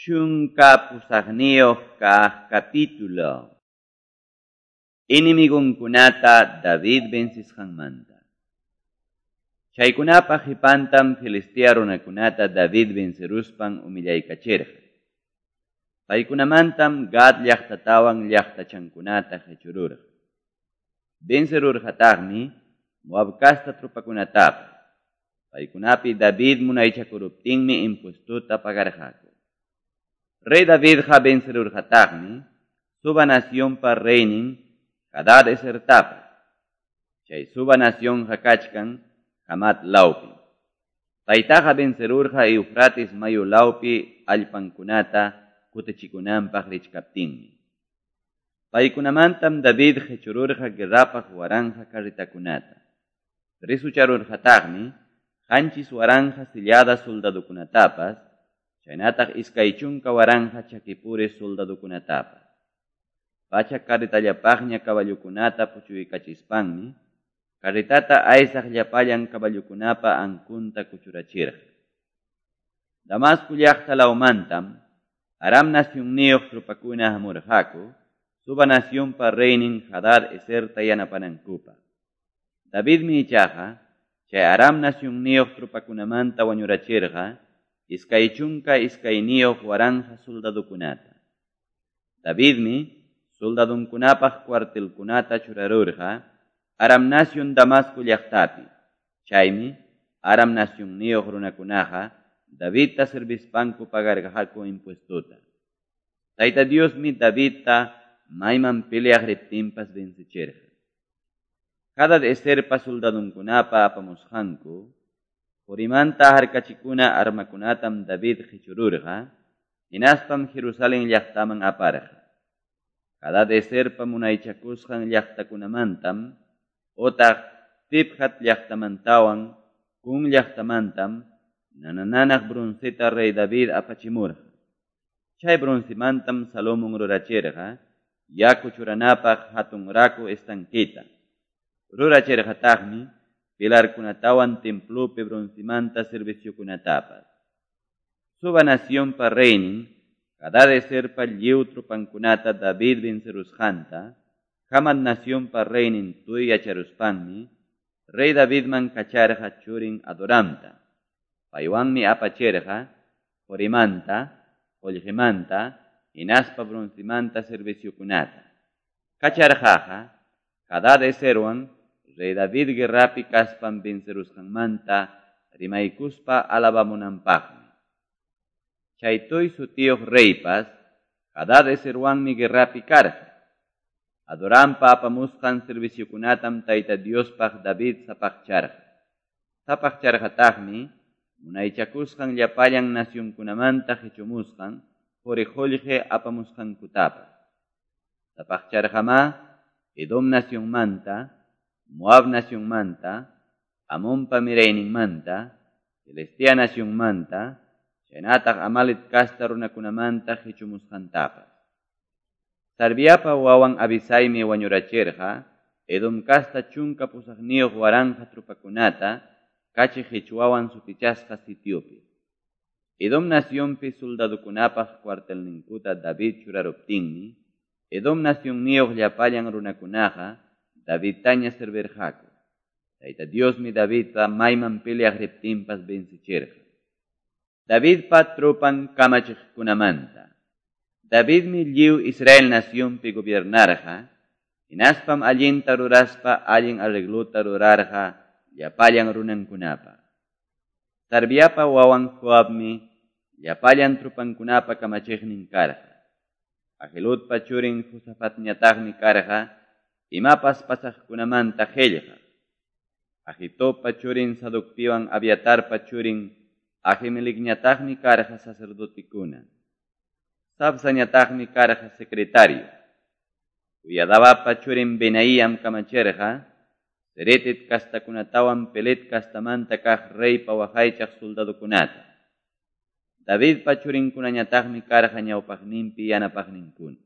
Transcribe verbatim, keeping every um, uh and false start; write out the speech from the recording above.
Chunka pusaqniyuq kaq capítulo. Enemigunkunata David vencisqanmanta. Chaykunapa qipantam Filistea runakunata David venceruspan humillaykachirqa. Paykunamantam Gad llaqtatawan llaqtachankunata qichururqa. Vencerurqataqmi Moab casta tropakunatapas. Paykunapi David munaychakuruptinmi impuestuta pagarqaku. Rey Davidqa vencerurqataqmi Suba nacionpa reynin Hadad Esertapas. Chay Suba nacionqa kachkan Hamat lawpi. Paytaqa vencerurqa Eufrates mayu lawpi allpankunata kutichikunanpaq richkaptinmi. Paykunamantam David qichururqa guerrapaq waranqa carretakunata. Risucharurqataqmi qanchis waranqa sillada soldadokunatapas, chaynataq iskay chunka waranqa chakipuri soldadokunatapas. Pachak carretallapaqña caballokunata puchuykachispanmi, carretata aysaq llapallan caballokunapa ankunta kuchurachirqa. Damasco llaqta lawmantam Aram nacionniyuq tropakuna hamurqaku, Suba nacionpa reynin Hadad Eserta yanapanankupaq. Davidmi ichaqa chay Aram nacionniyuq tropakunamanta wañurachirqa iskay chunka iskayniyuq waranqa soldadokunata. Davidmi soldadunkunapaq cuartelkunata churarurqa Aram nacion Damasco llaqtapi. Chaymi Aram nacionniyuq runakunaqa Davidta servispanku pagarqaku impuestuta. Tayta Diosmi Davidta mayman peleaq riptinpas vencichirqa. Hadad Eserpa soldadunkunapa apamusqanku qorimanta harkachikuna armakunatam David qichururqa, hinaspam Jerusalén llaqtaman aparqa. Hadad Eserpa munaychakusqan llaqtakunamantam otaq Tibhat llaqtamantawan Kun llaqtamantam nanananaq bronceta rey David apachimurqa. Chay broncemantam Salomón rurachirqa yaku churanapaq hatun raku estanqueta. Rurachirqataqmi pilarkunatawan templopi broncemanta serviciokunatapas. Suba nacionpa reynin Hadad Eserpa lliw tropankunata David vencerusqanta, Hamat nacionpa reynin Tuy yacharuspanmi, rey Davidman kacharqa churin Adoramta. Paywanmi apachirqa qorimanta, qollqimanta, hinaspa broncemanta serviciokunata. Kacharqaqa Hadad Eserwan rey David guerrapi kaspan vencerusqanmanta rimaykuspa alabamunanpaqmi. Chay Tuy sutiyuq reypas Hadad Eserwanmi guerrapi karqa. Adorampa apamusqan serviciokunatam Tayta Diospaq David sapaqcharqa. Sapaqcharqataqmi munaychakusqan llapallan nacionkunamanta qichumusqan qori qullqi apamusqankutapas. Sapaqcharqamá Edom nacionmanta, Moab nacionmanta, Amonpa mirayninmanta, Filistea nacionmanta, chaynataq Amalek casta runakunamanta qichumusqantapas. Sarviapa wawan Abisaymi wañurachirqa Edom casta chunka pusaqniyuq waranqa tropakunata kachi qichwawan sutichasqa sitiopi. Edom nacionpi soldadokunapaq cuartelninkuta David churaruptinmi, Edom nacionniyuq llapallan runakunaqa Davidtaña servirqaku. Tayta Diosmi Davidta mayman peleaq riptinpas vencichirqa. Davidpa tropan kamachiqkunamanta. Davidmi lliw Israel nacionpi gobiernarqa, hinaspam allinta ruraspa allin arregluta rurarqa llapallan runankunapa. Sarviapa wawan Joabmi llapallan tropankunapa kamachiqnin karqa. Ahiludpa churin Josafatñataqmi karqa imapas pasaqkunamanta qillqaq. Ahitobpa churin Sadocpiwan Abiatarpa churin Ahimelecñataqmi karqa sacerdotekuna. Sabsañataqmi karqa secretario. Uyadabapa churin Benaíam kamachirqa Ceretet kastakunatawan Pelet kastamanta kaq reypa waqaychaq soldadokunata. Davidpa churinkunañataqmi karqa ñawpaqninpi yanapaqninkuna.